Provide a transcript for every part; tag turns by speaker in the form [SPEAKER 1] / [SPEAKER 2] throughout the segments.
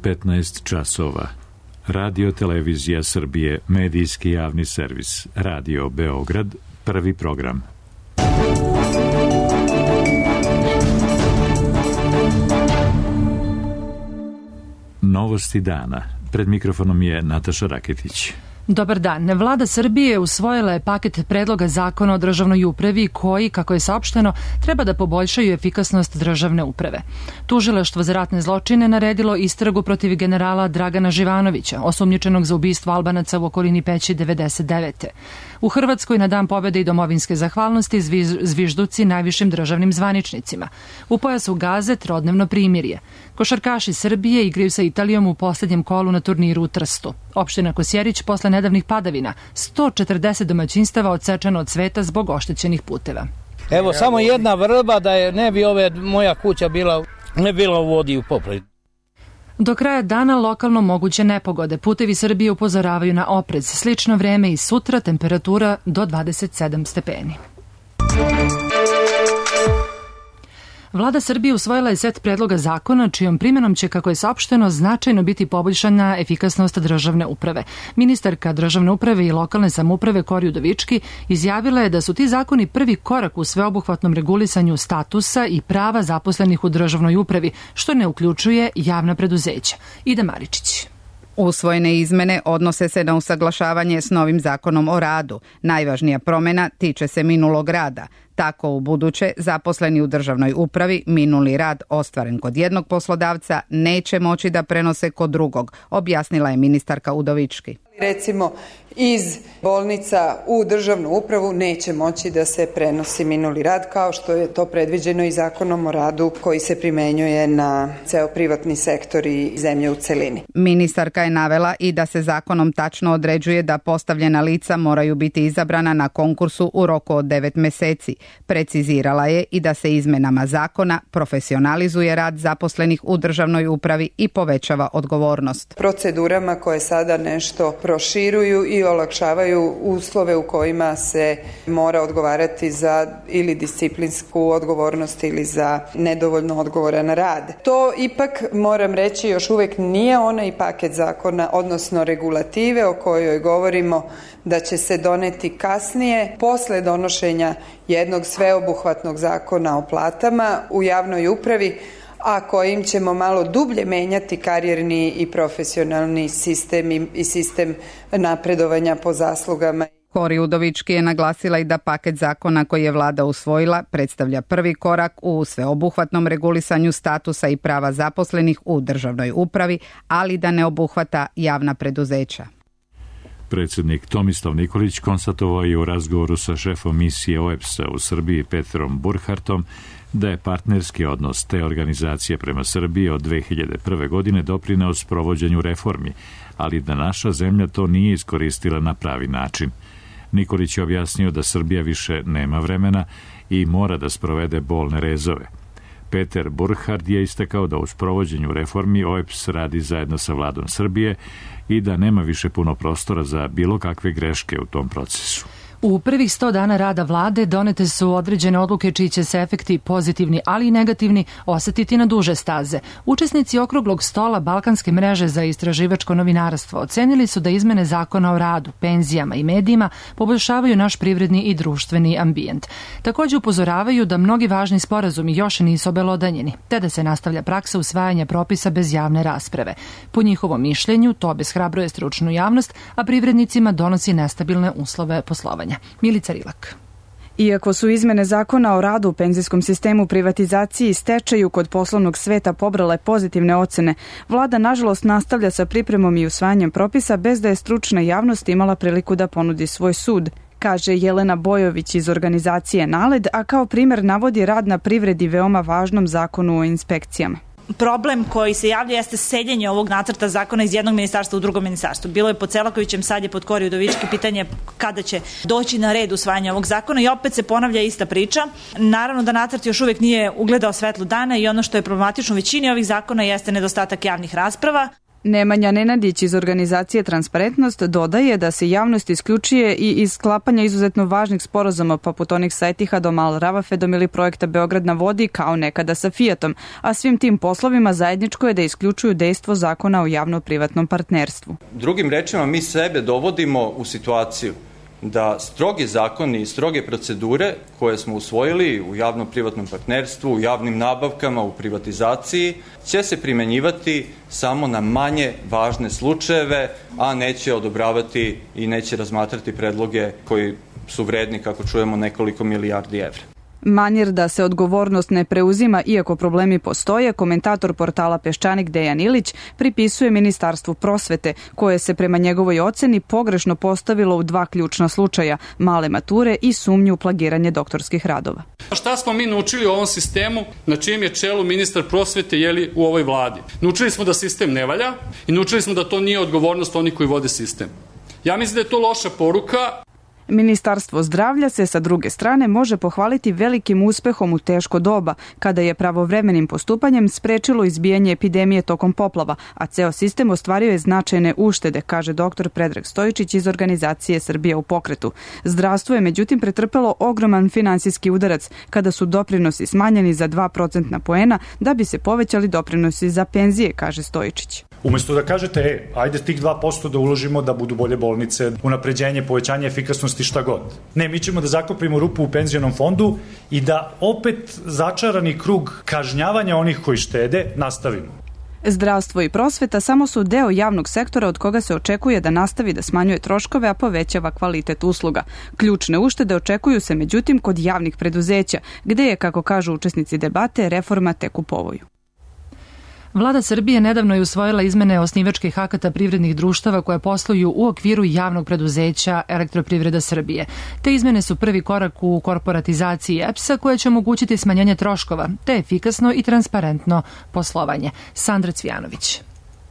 [SPEAKER 1] 15 časova. Radio Televizija Srbije, medijski javni servis. Radio Beograd, prvi program. Novosti dana. Pred mikrofonom je Nataša Raketić.
[SPEAKER 2] Dobar dan. Vlada Srbije usvojila je paket predloga zakona o državnoj upravi koji, kako je saopšteno, treba da poboljšaju efikasnost državne uprave. Tužilaštvo za ratne zločine naredilo istragu protiv generala Dragana Živanovića, osumnjičenog za ubistvo Albanaca u okolini Peći 99. U Hrvatskoj na Dan pobjede i domovinske zahvalnosti zvižduci najvišim državnim zvaničnicima. U pojasu Gaze trodnevno primirje. Košarkaši Srbije igraju sa Italijom u posljednjem kolu na turniru u Trstu. Opština Kosjerić posle nedavnih padavina, 140 domaćinstava odsečeno od sveta zbog oštećenih puteva.
[SPEAKER 3] Evo samo jedna vrba da je ne bi moja kuća bila u vodi u poplavi.
[SPEAKER 2] Do kraja dana lokalno moguće nepogode. Putevi Srbije upozoravaju na oprez. Slično vreme i sutra, temperatura do 27 stepeni. Vlada Srbije usvojila je set predloga zakona čijom primjenom će, kako je saopšteno, značajno biti poboljšana efikasnost državne uprave. Ministarka državne uprave i lokalne samouprave Kori Udovički izjavila je da su ti zakoni prvi korak u sveobuhvatnom regulisanju statusa i prava zaposlenih u državnoj upravi, što ne uključuje javna preduzeća. Ida Maričić.
[SPEAKER 4] Usvojene izmene odnose se na usaglašavanje s novim zakonom o radu. Najvažnija promjena tiče se minulog rada. Tako u buduće zaposleni u državnoj upravi minuli rad ostvaren kod jednog poslodavca neće moći da prenose kod drugog, objasnila je ministarka Udovički.
[SPEAKER 5] Recimo, iz bolnica u državnu upravu neće moći da se prenosi minuli rad, kao što je to predviđeno i zakonom o radu koji se primenjuje na ceo privatni sektor i zemlje u celini.
[SPEAKER 4] Ministarka je navela i da se zakonom tačno određuje da postavljena lica moraju biti izabrana na konkursu u roku od 9 meseci. Precizirala je i da se izmenama zakona profesionalizuje rad zaposlenih u državnoj upravi i povećava odgovornost.
[SPEAKER 5] Procedurama koje sada nešto proširuju i olakšavaju uslove u kojima se mora odgovarati za ili disciplinsku odgovornost ili za nedovoljno odgovoran rad. To ipak, moram reći, još uvijek nije onaj paket zakona, odnosno regulative o kojoj govorimo da će se doneti kasnije, posle donošenja jednog sveobuhvatnog zakona o platama u javnoj upravi, a kojim ćemo malo dublje menjati karijerni i profesionalni sistem i sistem napredovanja po zaslugama.
[SPEAKER 4] Kori Udovički je naglasila i da paket zakona koji je vlada usvojila predstavlja prvi korak u sveobuhvatnom regulisanju statusa i prava zaposlenih u državnoj upravi, ali da ne obuhvata javna preduzeća.
[SPEAKER 1] Predsjednik Tomislav Nikolić konstatovao je u razgovoru sa šefom misije OEBS-a u Srbiji Petrom Burhartom da je partnerski odnos te organizacije prema Srbiji od 2001. godine doprineo sprovođenju reformi, ali da naša zemlja to nije iskoristila na pravi način. Nikolić je objasnio da Srbija više nema vremena i mora da sprovede bolne rezove. Peter Burhard je istakao da u sprovođenju reformi OEBS radi zajedno sa vladom Srbije i da nema više puno prostora za bilo kakve greške u tom procesu.
[SPEAKER 2] U prvih 100 dana rada vlade donete su određene odluke čiji će se efekti pozitivni, ali i negativni osetiti na duže staze. Učesnici okruglog stola Balkanske mreže za istraživačko novinarstvo ocenili su da izmene zakona o radu, penzijama i medijima poboljšavaju naš privredni i društveni ambijent. Također upozoravaju da mnogi važni sporazumi još nisu obelodanjeni, te da se nastavlja praksa usvajanja propisa bez javne rasprave. Po njihovom mišljenju, to obeshrabruje stručnu javnost, a privrednicima donosi nestabilne uslove poslovanja. Milica Rilak.
[SPEAKER 6] Iako su izmene zakona o radu u penzijskom sistemu, privatizaciji i stečaju kod poslovnog sveta pobrale pozitivne ocene, vlada nažalost nastavlja sa pripremom i usvajanjem propisa bez da je stručna javnost imala priliku da ponudi svoj sud, kaže Jelena Bojović iz organizacije NALED, a kao primjer navodi rad na privredi veoma važnom zakonu o inspekcijama.
[SPEAKER 7] Problem koji se javlja jeste seljenje ovog nacrta zakona iz jednog ministarstva u drugo ministarstvo. Bilo je pod Selakovićem, sad je pod Kori Udovički, pitanje kada će doći na red usvajanje ovog zakona i opet se ponavlja ista priča. Naravno da nacrt još uvijek nije ugledao svetlu dana i ono što je problematično u većini ovih zakona jeste nedostatak javnih rasprava.
[SPEAKER 6] Nemanja Nenadić iz organizacije Transparentnost dodaje da se javnost isključuje i iz sklapanja izuzetno važnih sporazuma poput onih sa Etihadom, Al Ravafedom ili projekta Beograd na vodi kao nekada sa Fiatom, a svim tim poslovima zajedničko je da isključuju dejstvo zakona o javno-privatnom partnerstvu.
[SPEAKER 8] Drugim rečima, mi sebe dovodimo u situaciju da strogi zakoni i stroge procedure koje smo usvojili u javno-privatnom partnerstvu, u javnim nabavkama, u privatizaciji, će se primenjivati samo na manje važne slučajeve, a neće odobravati i neće razmatrati predloge koji su vredni, kako čujemo, nekoliko milijardi evra.
[SPEAKER 6] Manir da se odgovornost ne preuzima iako problemi postoje, komentator portala Peščanik Dejan Ilić pripisuje Ministarstvu prosvete, koje se prema njegovoj oceni pogrešno postavilo u dva ključna slučaja, male mature i sumnju u plagiranje doktorskih radova.
[SPEAKER 9] Šta smo mi naučili u ovom sistemu na čijem je čelu ministar prosvete u ovoj vladi? Naučili smo da sistem ne valja i naučili smo da to nije odgovornost onih koji vode sistem. Ja mislim da je to loša poruka.
[SPEAKER 6] Ministarstvo zdravlja se sa druge strane može pohvaliti velikim uspehom u teško doba, kada je pravovremenim postupanjem sprečilo izbijanje epidemije tokom poplava, a ceo sistem ostvario je značajne uštede, kaže dr. Predrag Stojičić iz organizacije Srbija u pokretu. Zdravstvo je međutim pretrpelo ogroman finansijski udarac kada su doprinosi smanjeni za 2% poena da bi se povećali doprinosi za penzije, kaže Stojičić.
[SPEAKER 10] Umesto da kažete, ajde tih 2% da uložimo da budu bolje bolnice, unapređenje, povećanje efikasnosti, šta god. Ne, mi ćemo da zakopimo rupu u penzionom fondu i da opet začarani krug kažnjavanja onih koji štede nastavimo.
[SPEAKER 6] Zdravstvo i prosveta samo su deo javnog sektora od koga se očekuje da nastavi da smanjuje troškove, a povećava kvalitet usluga. Ključne uštede očekuju se međutim kod javnih preduzeća, gde je, kako kažu učesnici debate, reforma tek u povoju.
[SPEAKER 2] Vlada Srbije nedavno je usvojila izmene osnivačkih akata privrednih društava koje posluju u okviru javnog preduzeća Elektroprivreda Srbije. Te izmene su prvi korak u korporatizaciji EPS-a koje će omogućiti smanjenje troškova, te efikasno i transparentno poslovanje. Sandra Cvijanović.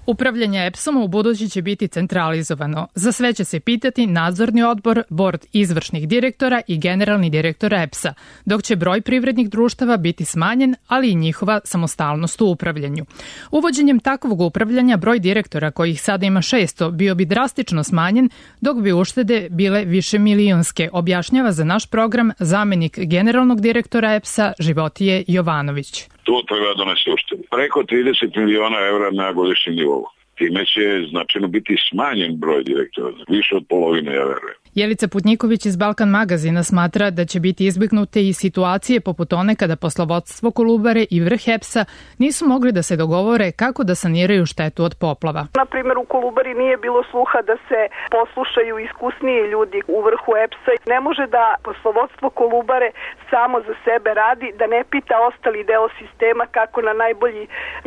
[SPEAKER 11] Upravljanje EPS-om u budući će biti centralizovano. Za sve će se pitati nadzorni odbor, bord izvršnih direktora i generalni direktor EPS-a, dok će broj privrednih društava biti smanjen, ali i njihova samostalnost u upravljanju. Uvođenjem takvog upravljanja broj direktora, kojih sada ima 600, bio bi drastično smanjen, dok bi uštede bile višemilionske, objašnjava za naš program zamenik generalnog direktora EPS-a Životije Jovanović.
[SPEAKER 12] To treba donese uštede. Preko 30 miliona evra na godišnjem nivou. Time će značajno biti smanjen broj direktora, više od polovine, ja verujem.
[SPEAKER 11] Jelica Putnjiković iz Balkan magazina smatra da će biti izbjegnute i situacije poput one kada poslovodstvo Kolubare i vrh EPS-a nisu mogli da se dogovore kako da saniraju štetu od poplava.
[SPEAKER 13] Na primjer, u Kolubari nije bilo sluha da se poslušaju iskusniji ljudi u vrhu EPS-a. Ne može da poslovodstvo Kolubare samo za sebe radi, da ne pita ostali deo sistema kako na najbolji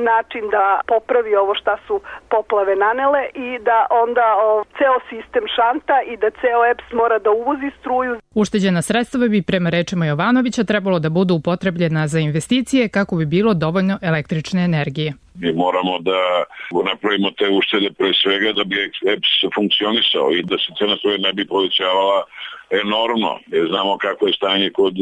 [SPEAKER 13] način da popravi ovo šta su poplave nanele i da onda ceo sistem šanta i da ceo EPS mora da uvozi struju.
[SPEAKER 11] Ušteđena sredstva bi prema rečima Jovanovića trebalo da budu upotrebljena za investicije kako bi bilo dovoljno električne energije.
[SPEAKER 12] Mi moramo da napravimo te uštede pre svega da bi EPS funkcionisao i da se cena struje ne bi povećavala enormno, jer znamo kako je stanje kod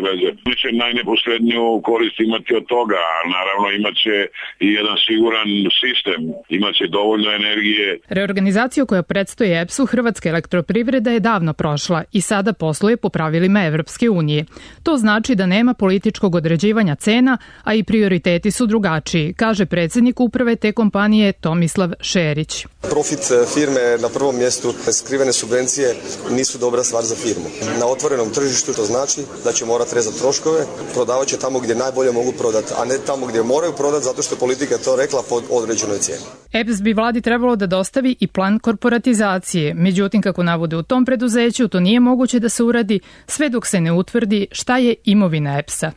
[SPEAKER 12] veze. Mi će najneposredniju korist imati od toga, a naravno imaće i jedan siguran sistem, imaće dovoljno energije.
[SPEAKER 11] Reorganizaciju koja predstoji EPS-u Hrvatska elektroprivreda je davno prošla i sada posluje po pravilima Evropske unije. To znači da nema političkog određivanja cena, a i prioriteti su drugačiji, kaže predsjednik uprave te kompanije Tomislav Šerić.
[SPEAKER 14] Profit firme na prvom mjestu, skrivene subvencije nisu dobra stvar za firmu. Na otvorenom tržištu to znači da će morati rezati troškove, prodavat će tamo gdje najbolje mogu prodati, a ne tamo gdje moraju prodati zato što politika to rekla pod određenoj cijeni.
[SPEAKER 11] EPS bi vladi trebalo da dostavi i plan korporatizacije, međutim kako navode u tom preduzeću to nije moguće da se uradi sve dok se ne utvrdi šta je imovina EPS-a.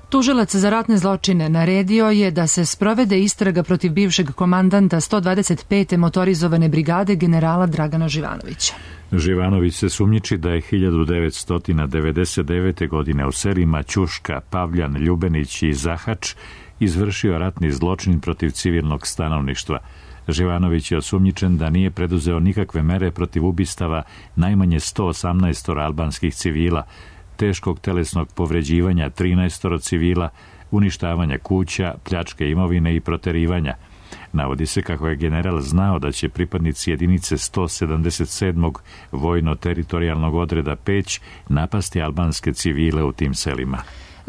[SPEAKER 2] Tužilac za ratne zločine naredio je da se sprovede istraga protiv bivšeg komandanta 125. motorizovane brigade generala Dragana Živanovića.
[SPEAKER 1] Živanović se sumnjiči da je 1999. godine u selima Ćuška, Pavljan, Ljubenić i Zahač izvršio ratni zločin protiv civilnog stanovništva. Živanović je osumnjičen da nije preduzeo nikakve mere protiv ubistava najmanje 118 albanskih civila, teškog telesnog povređivanja 13 civila, uništavanja kuća, pljačke imovine i proterivanja. Navodi se kako je general znao da će pripadnici jedinice 177. vojno-teritorijalnog odreda Peć napasti albanske civile u tim selima.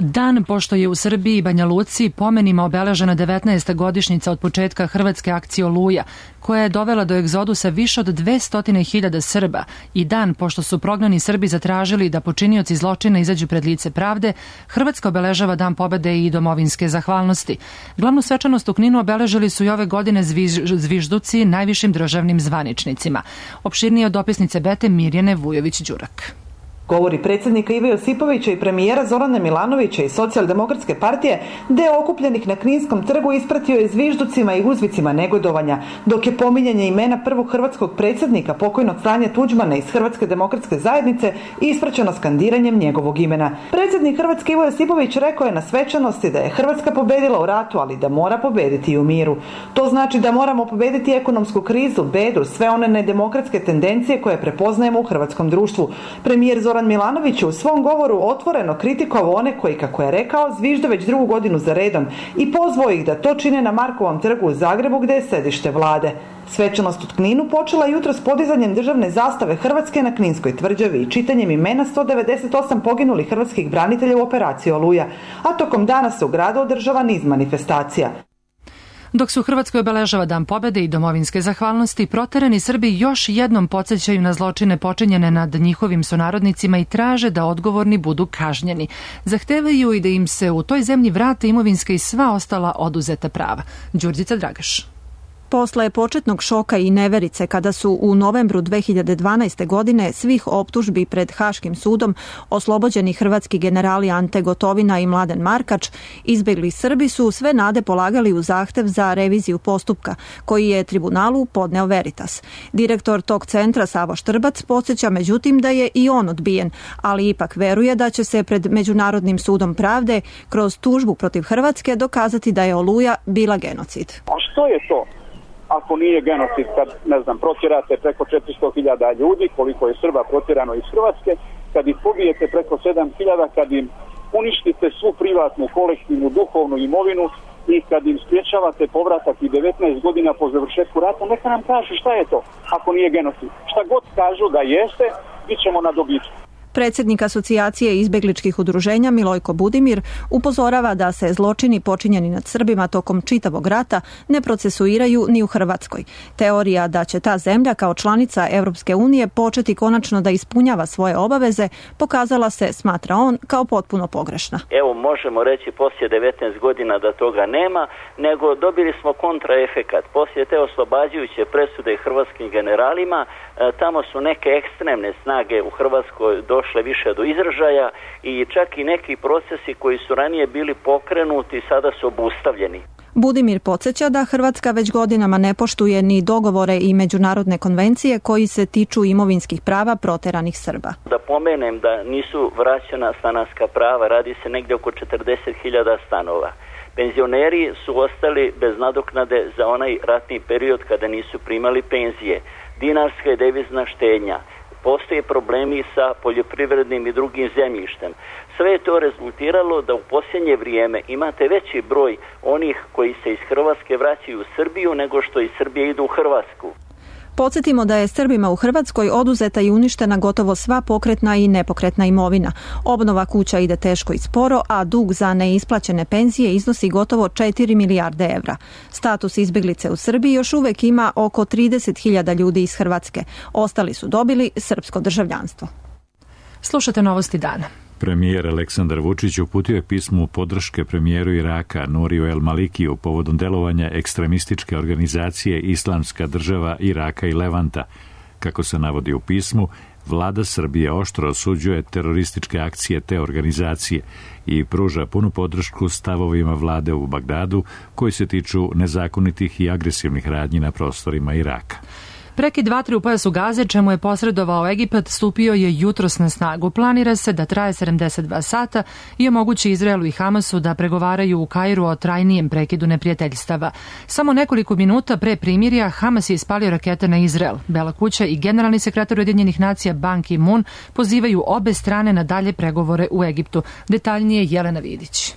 [SPEAKER 2] Dan pošto je u Srbiji i Banja Luci pomenima obeležena 19. godišnjica od početka hrvatske akcije Oluja, koja je dovela do egzodusa više od 200.000 Srba, i dan pošto su prognani Srbi zatražili da počinioci zločina izađu pred lice pravde, Hrvatska obeležava Dan pobede i domovinske zahvalnosti. Glavnu svečanost u Kninu obeležili su i ove godine zvižduci najvišim državnim zvaničnicima. Opširnije od dopisnice Bete Mirjane Vujović-Đurak.
[SPEAKER 15] Govori predsjednika Ive Josipovića i premijera Zorana Milanovića iz Socijaldemokratske partije, deo okupljenih na Kninskom trgu ispratio je zvižducima i uzvicima negodovanja, dok je pominjanje imena prvog hrvatskog predsjednika, pokojnog Franje Tuđmana iz Hrvatske demokratske zajednice, ispraćeno skandiranjem njegovog imena. Predsjednik Hrvatske Ivo Josipović rekao je na svečanosti da je Hrvatska pobedila u ratu, ali da mora pobediti i u miru. To znači da moramo pobediti ekonomsku krizu, bedu, sve one nedemokratske tendencije koje prepoznajemo u hrvatskom društvu. Premijer Zoran Milanović je u svom govoru otvoreno kritikovao one koji, kako je rekao, zvižde već drugu godinu za redom i pozvao ih da to čine na Markovom trgu u Zagrebu, gde je sedište vlade. Svečanost u Kninu počela jutros s podizanjem državne zastave Hrvatske na Kninskoj tvrđavi i čitanjem imena 198 poginulih hrvatskih branitelja u operaciji Oluja, a tokom dana se u gradu održava niz manifestacija.
[SPEAKER 2] Dok se u Hrvatskoj obeležava Dan pobede i domovinske zahvalnosti, proterani Srbi još jednom podsjećaju na zločine počinjene nad njihovim sunarodnicima i traže da odgovorni budu kažnjeni. Zahtevaju i da im se u toj zemlji vrate imovinska i sva ostala oduzeta prava. Đurđica Dragaš.
[SPEAKER 16] Posle početnog šoka i neverice kada su u novembru 2012. godine svih optužbi pred Haškim sudom oslobođeni hrvatski generali Ante Gotovina i Mladen Markač, izbegli Srbi su sve nade polagali u zahtev za reviziju postupka, koji je tribunalu podneo Veritas. Direktor tog centra Savo Štrbac podsjeća međutim da je i on odbijen, ali ipak veruje da će se pred Međunarodnim sudom pravde kroz tužbu protiv Hrvatske dokazati da je Oluja bila genocid.
[SPEAKER 17] A što je to? Ako nije genocid, kad, protjerate preko 400.000 ljudi, koliko je Srba protjerano iz Hrvatske, kad ih pobijete preko 7.000, kad im uništite svu privatnu, kolektivnu, duhovnu imovinu i kad im spriječavate povratak i 19 godina po završetku rata, neka nam kažu šta je to, ako nije genocid. Šta god kažu da jeste, bit ćemo na dobitku.
[SPEAKER 16] Predsjednik Asocijacije izbegličkih udruženja Milojko Budimir upozorava da se zločini počinjeni nad Srbima tokom čitavog rata ne procesuiraju ni u Hrvatskoj. Teorija da će ta zemlja kao članica Europske unije početi konačno da ispunjava svoje obaveze pokazala se, smatra on, kao potpuno pogrešna.
[SPEAKER 18] Evo, možemo reći poslije 19 godina da toga nema, nego dobili smo kontraefekat. Poslije te oslobađajuće presude hrvatskim generalima, tamo su neke ekstremne snage u Hrvatskoj došle više do izražaja i čak i neki procesi koji su ranije bili pokrenuti sada su obustavljeni.
[SPEAKER 16] Budimir podsjeća da Hrvatska već godinama ne poštuje ni dogovore i međunarodne konvencije koji se tiču imovinskih prava proteranih Srba.
[SPEAKER 18] Da pomenem da nisu vraćena stanarska prava, radi se negdje oko 40.000 stanova. Penzioneri su ostali bez nadoknade za onaj ratni period kada nisu primali penzije. Dinarska i devizna štednja. Postoje problemi sa poljoprivrednim i drugim zemljištem. Sve je to rezultiralo da u posljednje vrijeme imate veći broj onih koji se iz Hrvatske vraćaju u Srbiju nego što iz Srbije idu u Hrvatsku.
[SPEAKER 16] Podsjetimo da je Srbima u Hrvatskoj oduzeta i uništena gotovo sva pokretna i nepokretna imovina. Obnova kuća ide teško i sporo, a dug za neisplaćene penzije iznosi gotovo 4 milijarde evra. Status izbjeglice u Srbiji još uvijek ima oko 30.000 ljudi iz Hrvatske. Ostali su dobili srpsko državljanstvo.
[SPEAKER 2] Slušate Novosti dana.
[SPEAKER 1] Premijer Aleksandar Vučić uputio je pismo podrške premijeru Iraka Nuriju El Malikiju povodom delovanja ekstremističke organizacije Islamska država Iraka i Levanta. Kako se navodi u pismu, vlada Srbije oštro osuđuje terorističke akcije te organizacije i pruža punu podršku stavovima vlade u Bagdadu koji se tiču nezakonitih i agresivnih radnji na prostorima Iraka.
[SPEAKER 2] Prekid vatre u pojasu Gaze, čemu je posredovao Egipat, stupio je jutros na snagu. Planira se da traje 72 sata i omogući Izraelu i Hamasu da pregovaraju u Kairu o trajnijem prekidu neprijateljstava. Samo nekoliko minuta pre primirja Hamas je ispalio rakete na Izrael. Bela kuća i generalni sekretar Ujedinjenih nacija Ban Ki-moon pozivaju obe strane na dalje pregovore u Egiptu. Detaljnije Jelena Vidić.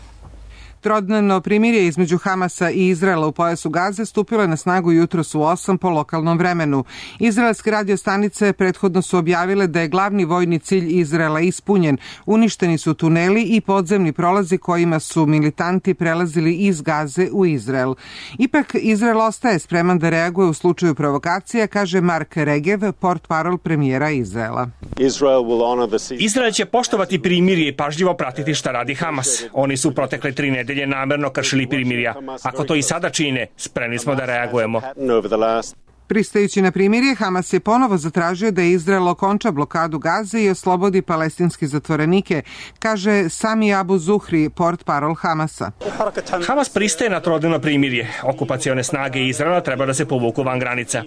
[SPEAKER 19] Trodnevno primirje između Hamasa i Izraela u pojasu Gaze stupilo je na snagu jutros u 8 po lokalnom vremenu. Izraelske radio stanice prethodno su objavile da je glavni vojni cilj Izraela ispunjen. Uništeni su tuneli i podzemni prolazi kojima su militanti prelazili iz Gaze u Izrael. Ipak Izrael ostaje spreman da reaguje u slučaju provokacija, kaže Mark Regev, portparol premijera Izraela.
[SPEAKER 20] Izrael će poštovati primirje i pažljivo pratiti šta radi Hamas. Oni su protekle 3 nedelje namerno kršili primirja. Ako to i sada čine, spremni smo da reagujemo.
[SPEAKER 19] Pristajući na primirje, Hamas je ponovo zatražio da Izrael okonča blokadu Gaze i oslobodi palestinske zatvorenike, kaže Sami Abu Zuhri, portparol Hamasa.
[SPEAKER 20] Hamas pristaje na trodnevno primirje. Okupacione snage Izraela treba da se povuku van granica.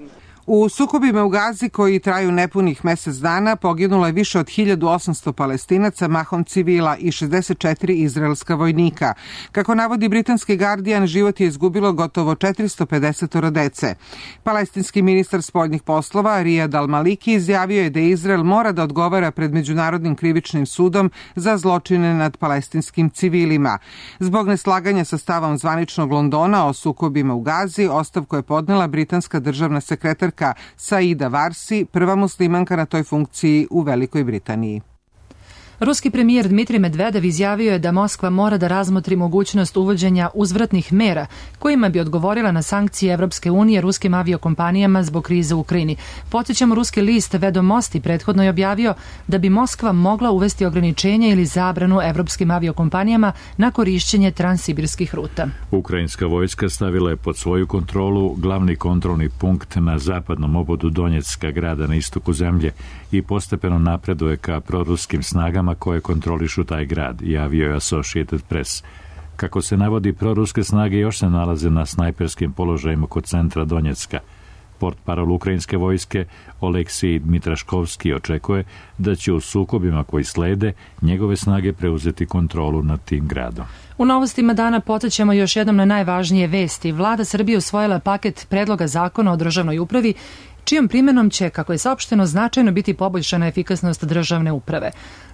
[SPEAKER 19] U sukobima u Gazi koji traju nepunih mesec dana poginulo je više od 1800 Palestinaca, mahom civila i 64 izraelska vojnika. Kako navodi britanski Guardian, život je izgubilo gotovo 450 dece. Palestinski ministar spoljnih poslova Riyad al-Maliki izjavio je da Izrael mora da odgovara pred Međunarodnim krivičnim sudom za zločine nad palestinskim civilima. Zbog neslaganja sa stavom zvaničnog Londona o sukobima u Gazi, ostavku je podnela britanska državna sekretarka Saida Varsi, prva muslimanka na toj funkciji u Velikoj Britaniji.
[SPEAKER 2] Ruski premijer Dmitrij Medvedev izjavio je da Moskva mora da razmotri mogućnost uvođenja uzvratnih mera kojima bi odgovorila na sankcije Evropske unije ruskim aviokompanijama zbog krize u Ukrajini. Podsjećamo, ruski list Vedomosti prethodno je objavio da bi Moskva mogla uvesti ograničenje ili zabranu evropskim aviokompanijama na korišćenje transsibirskih ruta.
[SPEAKER 1] Ukrajinska vojska stavila je pod svoju kontrolu glavni kontrolni punkt na zapadnom obodu Donjecka, grada na istoku zemlje, i postepeno napreduje ka proruskim snagama koje kontrolišu taj grad, javio je Associated Press. Kako se navodi, proruske snage još se nalaze na snajperskim položajima kod centra Donjecka. Portparol ukrajinske vojske Oleksij Dmitraškovski očekuje da će u sukobima koji slede njegove snage preuzeti kontrolu nad tim gradom.
[SPEAKER 2] U novostima dana podsjećamo još jednom na najvažnije vesti. Vlada Srbije usvojila paket predloga zakona o državnoj upravi, čijom primjenom će, kako je saopšteno, značajno biti poboljšana efikasnost državne uprave.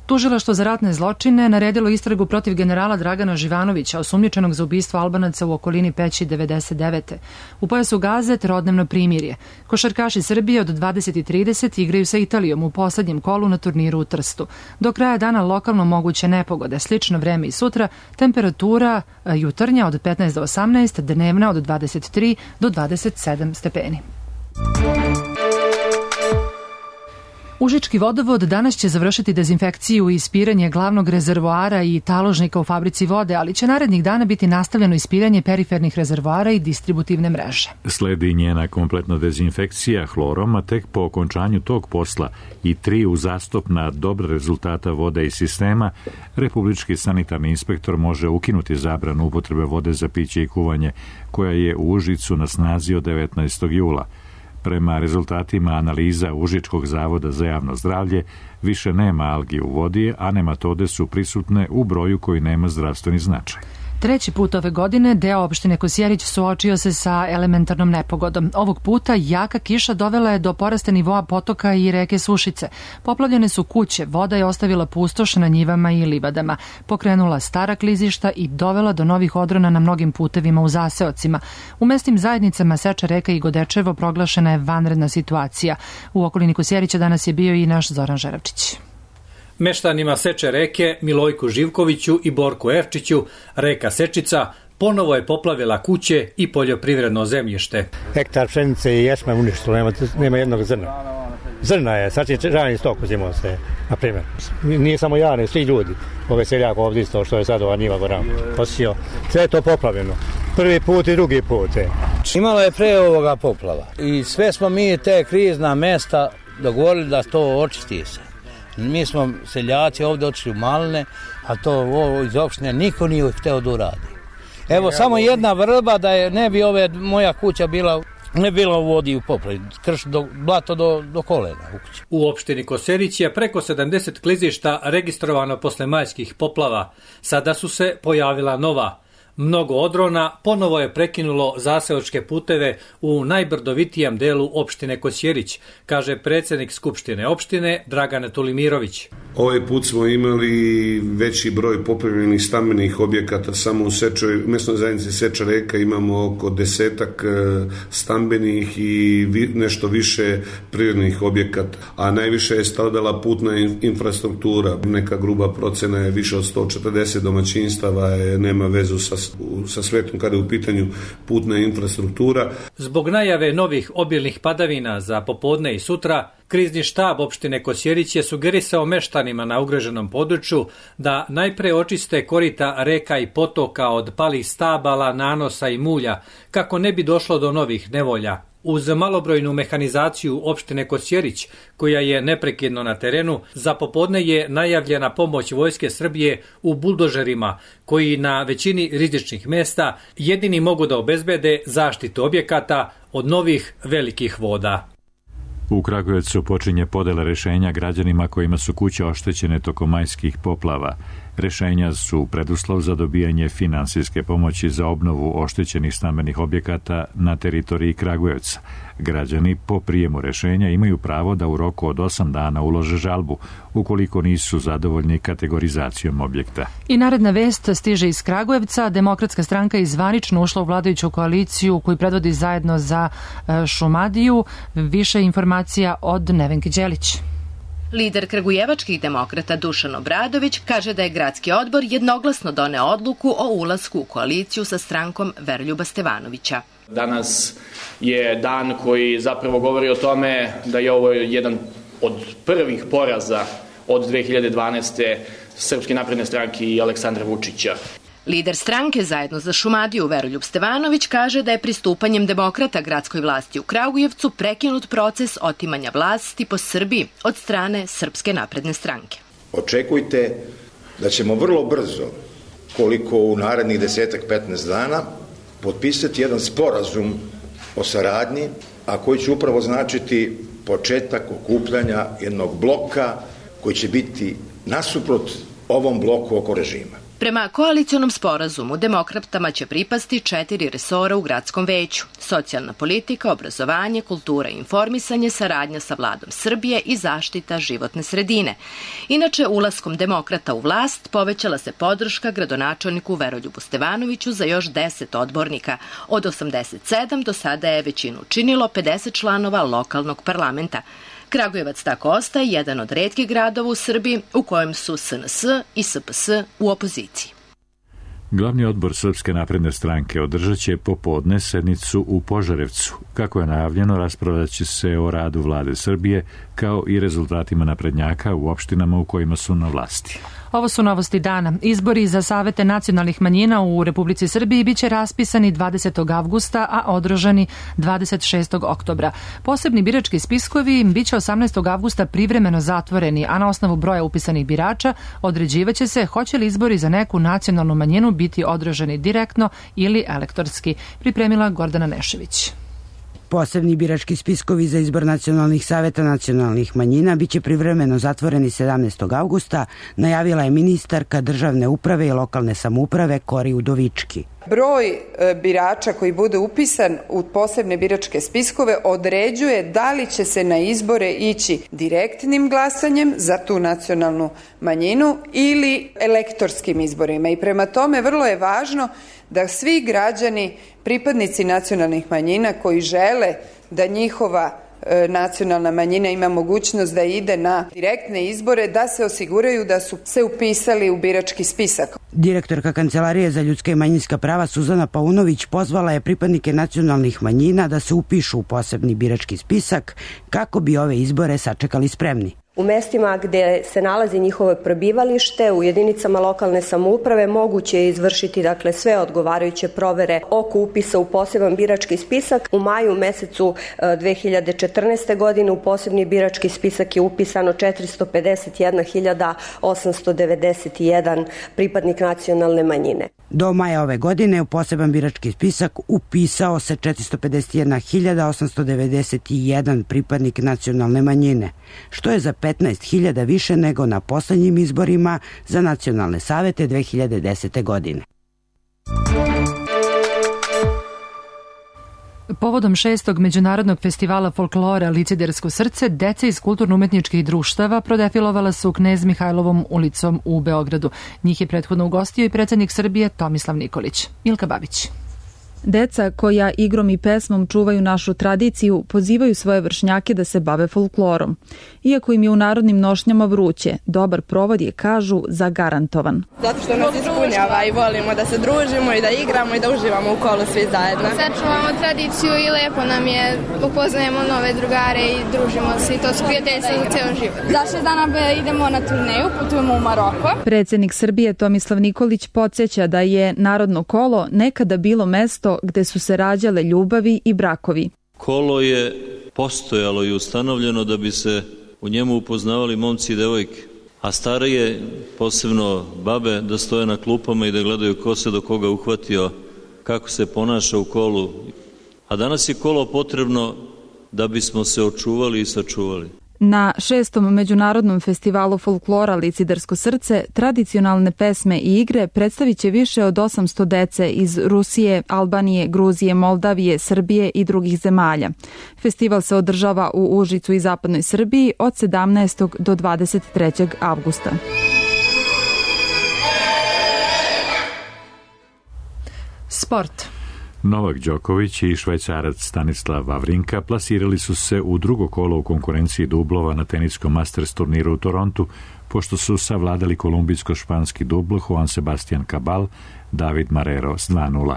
[SPEAKER 2] Tužilaštvo za ratne zločine naredilo istragu protiv generala Dragana Živanovića, osumnjičenog za ubistvo Albanaca u okolini Peći 99. U pojasu Gaze trodnevno primirje. Košarkaši Srbije od 20:30 igraju sa Italijom u poslednjem kolu na turniru u Trstu. Do kraja dana lokalno moguće nepogode, slično vreme i sutra, temperatura jutarnja od 15 do 18, dnevna od 23 do 27 stepeni. Užički vodovod danas će završiti dezinfekciju i ispiranje glavnog rezervoara i taložnika u fabrici vode, ali će narednih dana biti nastavljeno ispiranje perifernih rezervoara i distributivne mreže.
[SPEAKER 1] Sledi njena kompletna dezinfekcija hlorom, a tek po okončanju tog posla i 3 uzastopna dobra rezultata vode i sistema, Republički sanitarni inspektor može ukinuti zabranu upotrebe vode za piće i kuvanje, koja je u Užicu na snazi od 19. jula. Prema rezultatima analiza Užičkog zavoda za javno zdravlje, više nema algi u vodi, a nematode su prisutne u broju koji nema zdravstveni značaj.
[SPEAKER 2] Treći put ove godine deo opštine Kosjerić suočio se sa elementarnom nepogodom. Ovog puta jaka kiša dovela je do porasta nivoa potoka i reke Sušice. Poplavljene su kuće, voda je ostavila pustoš na njivama i livadama, pokrenula stara klizišta i dovela do novih odrona na mnogim putevima u zaseocima. U mesnim zajednicama Seča reka i Godečevo proglašena je vanredna situacija. U okolini Kosjerića danas je bio i naš Zoran Žeravčić.
[SPEAKER 21] Meštanima Seče reke Milojku Živkoviću i Borku Evčiću reka Sečica ponovo je poplavila kuće i poljoprivredno zemljište.
[SPEAKER 22] Hektar pšenice i ječma uništilo, nema jednog zrna. Zrna je, sad će rani stok uzimao se, na primjer. Nije samo ja, ne, svi ljudi. Ove seljak ovdje isto što je sad ova njiva goram posio. Sve je to poplavljeno. Prvi put i drugi put.
[SPEAKER 3] Imalo je pre ovoga poplava. I sve smo mi te krizna mesta dogovorili da to očisti se. Mi smo seljaci ovdje otišli u Maline, a to ovo iz opštine niko nije hteo da uradi. Evo samo jedna vrba da je ne bi moja kuća bila u vodi u poplavi, blato do kolena u kući.
[SPEAKER 21] U opštini Kosjerić je preko 70 klizišta registrovano posle majskih poplava. Sada su se pojavila nova. Mnogo odrona ponovo je prekinulo zaseočke puteve u najbrdovitijem delu opštine Kosjerić, kaže predsjednik Skupštine opštine Dragan Tulimirović.
[SPEAKER 4] Ovaj put smo imali veći broj popravljenih stambenih objekata, samo u mesnoj zajednici Seča Reka imamo oko 10 stambenih i nešto više prirodnih objekata, a najviše je stradala putna infrastruktura. Neka gruba procena je više od 140 domaćinstava, nema vezu sa svetom kada je u pitanju putna infrastruktura.
[SPEAKER 21] Zbog najave novih obilnih padavina za popodne i sutra, krizni štab opštine Kosjerić je sugerisao meštanima na ugroženom području da najpre očiste korita reka i potoka od palih stabala, nanosa i mulja, kako ne bi došlo do novih nevolja. Uz malobrojnu mehanizaciju opštine Kosjerić, koja je neprekidno na terenu, za popodne je najavljena pomoć Vojske Srbije u buldožerima, koji na većini rizičnih mesta jedini mogu da obezbede zaštitu objekata od novih velikih voda.
[SPEAKER 1] U Kragujevcu počinje podela rešenja građanima kojima su kuće oštećene tokom majskih poplava. Rešenja su preduslov za dobijanje finansijske pomoći za obnovu oštećenih stambenih objekata na teritoriji Kragujevca. Građani po prijemu rešenja imaju pravo da u roku od 8 dana ulože žalbu, ukoliko nisu zadovoljni kategorizacijom objekta.
[SPEAKER 2] I naredna vest stiže iz Kragujevca. Demokratska stranka je zvanično ušla u vladajuću koaliciju koju predvodi Zajedno za Šumadiju. Više informacija od Nevenke Đelić.
[SPEAKER 5] Lider kragujevačkih demokrata Dušan Obradović kaže da je gradski odbor jednoglasno doneo odluku o ulasku u koaliciju sa strankom Veroljuba Stevanovića.
[SPEAKER 23] Danas je dan koji zapravo govori o tome da je ovo jedan od prvih poraza od 2012. Srpske napredne stranke i Aleksandra Vučića.
[SPEAKER 5] Lider stranke Zajedno za Šumadiju Veroljub Stevanović kaže da je pristupanjem demokrata gradskoj vlasti u Kragujevcu prekinut proces otimanja vlasti po Srbiji od strane Srpske napredne stranke.
[SPEAKER 24] Očekujte da ćemo vrlo brzo, koliko u narednih 10-15 dana, potpisati jedan sporazum o saradnji, a koji će upravo značiti početak okupljanja jednog bloka koji će biti nasuprot ovom bloku oko režima.
[SPEAKER 5] Prema koalicionom sporazumu, demokratama će pripasti 4 resora u gradskom veću: socijalna politika, obrazovanje, kultura i informisanje, saradnja sa vladom Srbije i zaštita životne sredine. Inače, ulaskom demokrata u vlast povećala se podrška gradonačelniku Veroljubu Stevanoviću za još 10 odbornika. Od 87 do sada je većinu činilo 50 članova lokalnog parlamenta. Kragujevac tako ostaje jedan od retkih gradova u Srbiji u kojem su SNS i SPS u opoziciji.
[SPEAKER 1] Glavni odbor Srpske napredne stranke održat će popodne sednicu u Požarevcu. Kako je najavljeno, raspravljat će se o radu vlade Srbije kao i rezultatima naprednjaka u opštinama u kojima su na vlasti.
[SPEAKER 2] Ovo su novosti dana. Izbori za savete nacionalnih manjina u Republici Srbiji biće raspisani 20. avgusta, a održani 26. oktobra. Posebni birački spiskovi biće 18. avgusta privremeno zatvoreni, a na osnovu broja upisanih birača određivaće se hoće li izbori za neku nacionalnu manjinu biti održani direktno ili elektorski. Pripremila Gordana Nešević.
[SPEAKER 25] Posebni birački spiskovi za izbor nacionalnih saveta nacionalnih manjina biće privremeno zatvoreni 17. avgusta, najavila je ministarka državne uprave i lokalne samouprave Kori Udovički.
[SPEAKER 26] Broj birača koji bude upisan u posebne biračke spiskove određuje da li će se na izbore ići direktnim glasanjem za tu nacionalnu manjinu ili elektorskim izborima. I prema tome vrlo je važno da svi građani, pripadnici nacionalnih manjina koji žele da njihova nacionalna manjina ima mogućnost da ide na direktne izbore, da se osiguraju da su se upisali u birački spisak.
[SPEAKER 25] Direktorka Kancelarije za ljudska i manjinska prava Suzana Paunović pozvala je pripadnike nacionalnih manjina da se upišu u posebni birački spisak kako bi ove izbore sačekali spremni.
[SPEAKER 27] U mestima gde se nalazi njihovo prebivalište, u jedinicama lokalne samouprave moguće je izvršiti sve odgovarajuće provere oko upisa u poseban birački spisak. U maju mesecu 2014. godine u posebni birački spisak je upisano 451.891 pripadnik nacionalne manjine.
[SPEAKER 25] Do maja ove godine u poseban birački spisak upisao se 451.891 pripadnik nacionalne manjine, što je za 15.000 više nego na poslednjim izborima za nacionalne savete 2010. godine.
[SPEAKER 2] Povodom 6. Međunarodnog festivala folklora Licidersko srce, deca iz kulturno-umetničkih društava prodefilovala su Knez Mihajlovom ulicom u Beogradu. Njih je prethodno ugostio i predsjednik Srbije Tomislav Nikolić. Ilka Babić.
[SPEAKER 6] Deca koja igrom i pesmom čuvaju našu tradiciju pozivaju svoje vršnjake da se bave folklorom. Iako im je u narodnim nošnjama vruće, dobar provod je, kažu, zagarantovan.
[SPEAKER 7] Zato što nas ispunjava i volimo da se družimo i da igramo i da uživamo u kolu svi zajedno.
[SPEAKER 8] Sačuvamo tradiciju i lepo nam je, upoznajemo nove drugare i družimo se i to su prijateljstva za ceo život. Za 6 dana idemo na turneju, putujemo u Maroko.
[SPEAKER 6] Predsjednik Srbije Tomislav Nikolić podsjeća da je narodno kolo nekada bilo mesto gde su se rađale ljubavi i brakovi.
[SPEAKER 9] Kolo je postojalo i ustanovljeno da bi se u njemu upoznavali momci i devojke, a starije, posebno babe, da stoje na klupama i da gledaju ko se do koga uhvatio, kako se ponaša u kolu. A danas je kolo potrebno da bismo se očuvali i sačuvali.
[SPEAKER 6] Na 6. Međunarodnom festivalu folklora Licidersko srce tradicionalne pesme i igre predstavit će više od 800 dece iz Rusije, Albanije, Gruzije, Moldavije, Srbije i drugih zemalja. Festival se održava u Užicu i zapadnoj Srbiji od 17. do 23. avgusta.
[SPEAKER 2] Sport.
[SPEAKER 1] Novak Đoković i Švajcarac Stanislav Wawrinka plasirali su se u drugo kolo u konkurenciji dublova na teniskom Masters turniru u Torontu, pošto su savladali kolumbijsko-španski dubl Juan Sebastian Cabal, David Marrero s 2:0.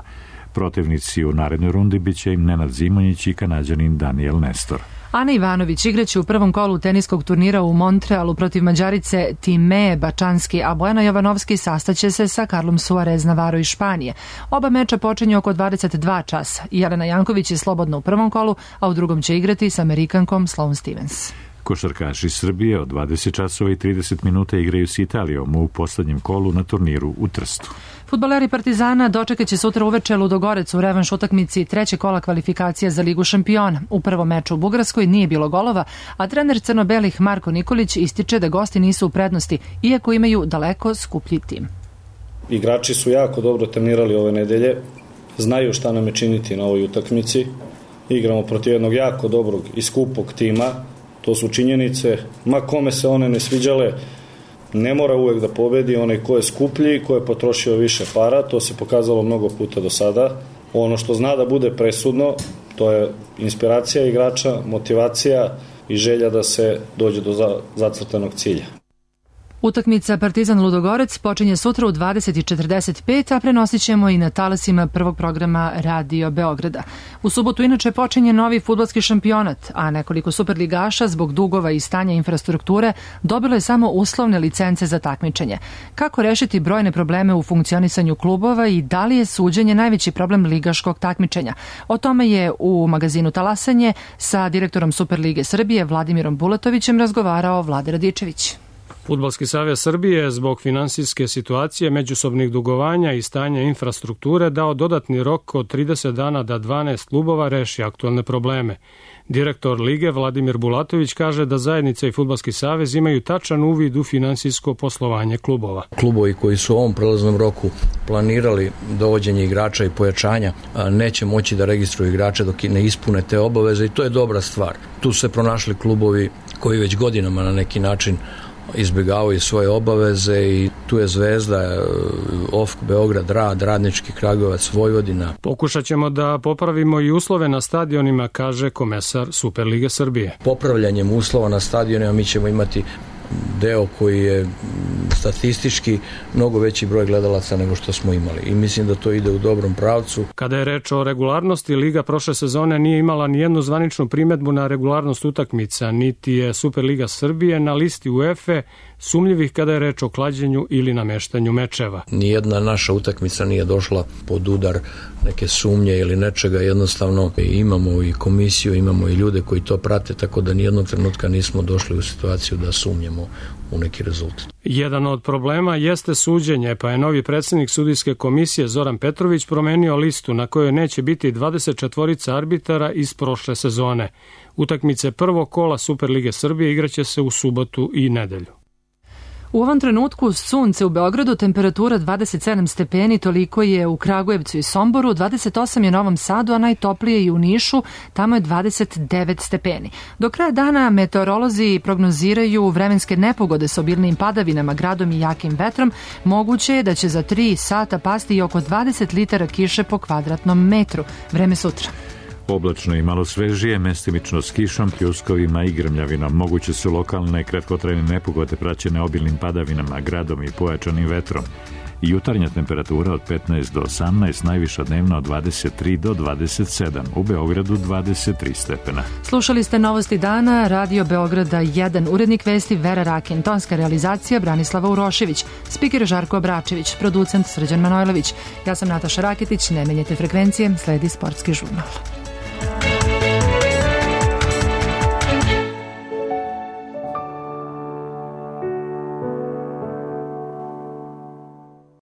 [SPEAKER 1] Protivnici u narednoj rundi biće im Nenad Zimonjić i Kanađanin Daniel Nestor.
[SPEAKER 2] Ana Ivanović igraće u prvom kolu teniskog turnira u Montrealu protiv Mađarice Time Bačanski, a Bojana Jovanovski sastaće se sa Carlom Suarez Navarro iz Španije. Oba meča počinju oko 22 časa. Jelena Janković je slobodna u prvom kolu, a u drugom će igrati s Amerikankom Sloane Stevens.
[SPEAKER 1] Košarkaši Srbije od 20 časova i 30 minuta igraju s Italijom u poslednjem kolu na turniru u Trstu.
[SPEAKER 2] Fudbaleri Partizana dočekat će sutra uveče Ludogorec u revanš utakmici treće kola kvalifikacija za Ligu šampiona. U prvom meču u Bugarskoj nije bilo golova, a trener crno-belih Marko Nikolić ističe da gosti nisu u prednosti, iako imaju daleko skuplji tim.
[SPEAKER 10] Igrači su jako dobro trenirali ove nedelje, znaju šta nam je činiti na ovoj utakmici. Igramo protiv jednog jako dobrog i skupog tima, to su činjenice, ma kome se one ne sviđale, ne mora uvek da pobedi onaj ko je skuplji, ko je potrošio više para, to se pokazalo mnogo puta do sada. Ono što zna da bude presudno, to je inspiracija igrača, motivacija i želja da se dođe do zacrtanog cilja.
[SPEAKER 2] Utakmica Partizan Ludogorec počinje sutra u 20:45, a prenosit ćemo i na talasima prvog programa Radio Beograda. U subotu inače počinje novi fudbalski šampionat, a nekoliko superligaša zbog dugova i stanja infrastrukture dobilo je samo uslovne licence za takmičenje. Kako rešiti brojne probleme u funkcionisanju klubova i da li je suđenje najveći problem ligaškog takmičenja? O tome je u magazinu Talasanje sa direktorom Superlige Srbije Vladimirom Bulatovićem razgovarao Vlade Radičević.
[SPEAKER 12] Fudbalski savez Srbije je zbog finansijske situacije, međusobnih dugovanja i stanja infrastrukture dao dodatni rok od 30 dana da 12 klubova reši aktualne probleme. Direktor Lige Vladimir Bulatović kaže da zajednica i Fudbalski savez imaju tačan uvid u finansijsko poslovanje klubova.
[SPEAKER 13] Klubovi koji su u ovom prelaznom roku planirali dovođenje igrača i pojačanja neće moći da registruju igrače dok ne ispune te obaveze i to je dobra stvar. Tu su se pronašli klubovi koji već godinama na neki način izbjegavaju svoje obaveze i tu je Zvezda, OFK, Beograd, Rad, Radnički, Kragujevac, Vojvodina.
[SPEAKER 12] Pokušat ćemo da popravimo i uslove na stadionima, kaže komesar Superlige Srbije.
[SPEAKER 13] Popravljanjem uslova na stadionima mi ćemo imati deo koji je statistički mnogo veći broj gledalaca nego što smo imali i mislim da to ide u dobrom pravcu.
[SPEAKER 12] Kada je reč o regularnosti, Liga prošle sezone nije imala ni jednu zvaničnu primedbu na regularnost utakmica, niti je Superliga Srbije na listi UEFA sumnjivih kada je reč o klađenju ili nameštanju mečeva.
[SPEAKER 13] Nijedna naša utakmica nije došla pod udar neke sumnje ili nečega, jednostavno imamo i komisiju, imamo i ljude koji to prate, tako da nijednog trenutka nismo došli u situaciju da sumnjemo u neki rezultat.
[SPEAKER 12] Jedan od problema jeste suđenje, pa je novi predsjednik sudijske komisije Zoran Petrović promenio listu na kojoj neće biti 24 arbitara iz prošle sezone. Utakmice prvog kola Superlige Srbije igraće se u subotu i nedelju.
[SPEAKER 2] U ovom trenutku sunce u Beogradu, temperatura 27 stepeni, toliko je u Kragujevcu i Somboru, 28 je u Novom Sadu, a najtoplije i u Nišu, tamo je 29 stepeni. Do kraja dana meteorolozi prognoziraju vremenske nepogode s obilnim padavinama, gradom i jakim vetrom. Moguće je da će za 3 sata pasti i oko 20 litara kiše po kvadratnom metru. Vreme sutra.
[SPEAKER 1] Oblačno i malo svežije, mestimično s kišom, pljuskovima i grmljavinom. Moguće su lokalne kratkotrajne nepogode praćene obilnim padavinama, gradom i pojačanim vetrom. Jutarnja temperatura od 15 do 18, najviša dnevna od 23 do 27, u Beogradu 23 stepena.
[SPEAKER 2] Slušali ste Novosti dana, Radio Beograda 1, urednik vesti Vera Rakin, tonska realizacija Branislava Urošević, spiker Žarko Obračević, producent Srđan Manojlović. Ja sam Nataša Raketić, ne menjajte frekvencije, sledi sportski žurnal.